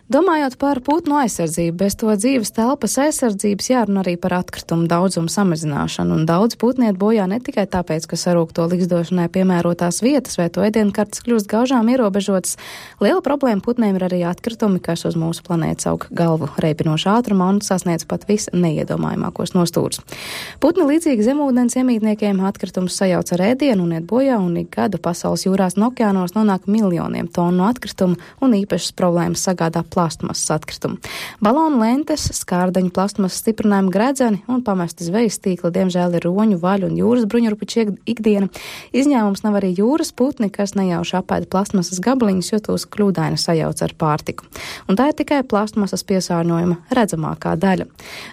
Domājot par putnu aizsardzību, bez to dzīves telpas aizsardzības jārunā arī par atkritumu daudzumu samazināšanu, un daudz putni iet bojā ne tikai tāpēc, ka sarūkto likšdošanai piemērotās vietas vai to ēdienkartes kļūst gaužām ierobežotas. Liela problēma putniem ir arī atkritumi, kas uz mūsu planētas aug galvu reibinošā ātrumā un sasniedz pat visneiedomājamākos nostūrus. Putni līdzīgi zemūdens iemītniekiem atkritumus sajauc ar ēdienu un iet bojā, un ik gadu pasaules jūrās un okeānos nonāk miljoniem tonu atkritumu, un īpašas problēmas sagādā plastmasas atkritumu. Balonu lentes, skārdaņu plastmasas stiprinājumu gredzeni un pamesti zvejas tīkli, diemžēl, ir roņu, vaļu un jūras bruņurupuču ikdiena. Izņēmums nav arī jūras putni, kas nejauši apēda plastmasas gabaliņus, jo tos kļūdaini sajauc ar pārtiku. Un tā ir tikai plastmasas piesārņojuma redzamākā daļa.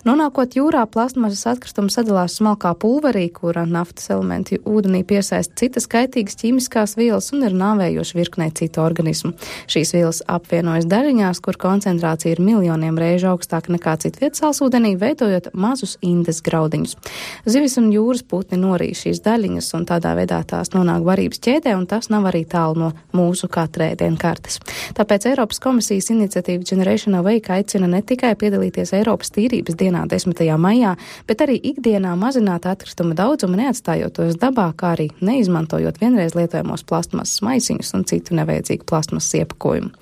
Nonākot jūrā, plastmasas atkritumi sadalās smalkā pulverī, kura naftas elementi ūdenī piesaista citas kaitīgas ķīmiskās vielas un ir nāvējoši virknē citu organismu. Šīs vielas apvienojas daļiņās, kur koncentrācija ir miljoniem reižu augstāka nekā citvietas salsūdenī, veidojot mazus indes graudiņus. Zivis un jūras putni norīja šīs daļiņas, un tādā veidā tās nonāk barības ķēdē, un tas nav arī tālu no mūsu katra ēdienkartes. Tāpēc Eiropas komisijas iniciatīva Generation Awake aicina ne tikai piedalīties Eiropas tīrības dienā 10. maijā, bet arī ikdienā mazināt atkrituma daudzumu, neatstājot tos dabā, kā arī neizmantojot vienreiz lietojamos plastmasas maisiņus un citu nevajadzīgu plastmasas iepakojumu.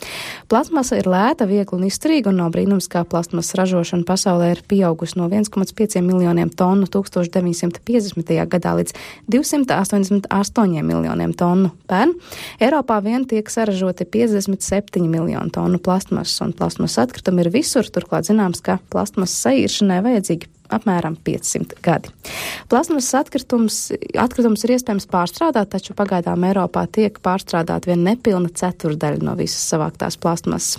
Plastmasa ir lēta, viegla un izturīga, un nav brīnums, kā plastmasas ražošana pasaulē ir pieaugusi no 1,5 miljoniem tonu 1950. gadā līdz 288 miljoniem tonu pērn. Eiropā vien tiek saražoti 57 miljonu tonu plastmasas, un plastmasas atkritumi ir visur, turklāt zināms, ka plastmasas saīršanai vajadzīgi apmēram 500 gadi. Plastmasas atkritums ir iespējams pārstrādāt, taču pagaidām Eiropā tiek pārstrādāt vien nepilna ceturdaļa no visas savāktās plastmasas.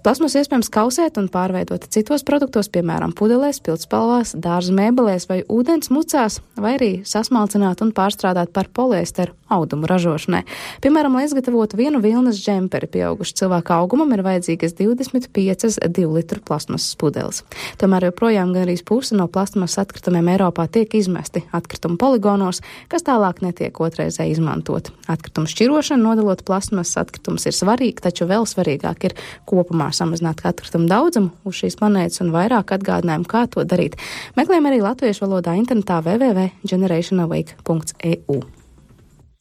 Plasmasu iespējams kausēt un pārveidot citos produktos, piemēram, pudelēs, pildspalvās, dārza mēbelēs vai ūdens mucās, vai arī sasmalcināt un pārstrādāt par poliesteru audumu ražošanai. Piemēram, lai izgatavotu vienu vilnas džemperi pieaugušu cilvēku augumam, ir vajadzīgas 25 2-litru plasmasas pudeles. Tomēr joprojām gandrīz puse no plasmasas atkritumiem Eiropā tiek izmesti atkritumu poligonos, kas tālāk netiek otrreizē izmantot. Atkritumu šķirošana, nodalot plasmasas atkritumus, ir svarīga, taču vēl svarīgāk ir kopumā samazināt atkritumu daudzumu uz šīs planētas un vairāk atgādinājumu, kā to darīt. Meklējam arī latviešu valodā internetā www.generationawake.eu.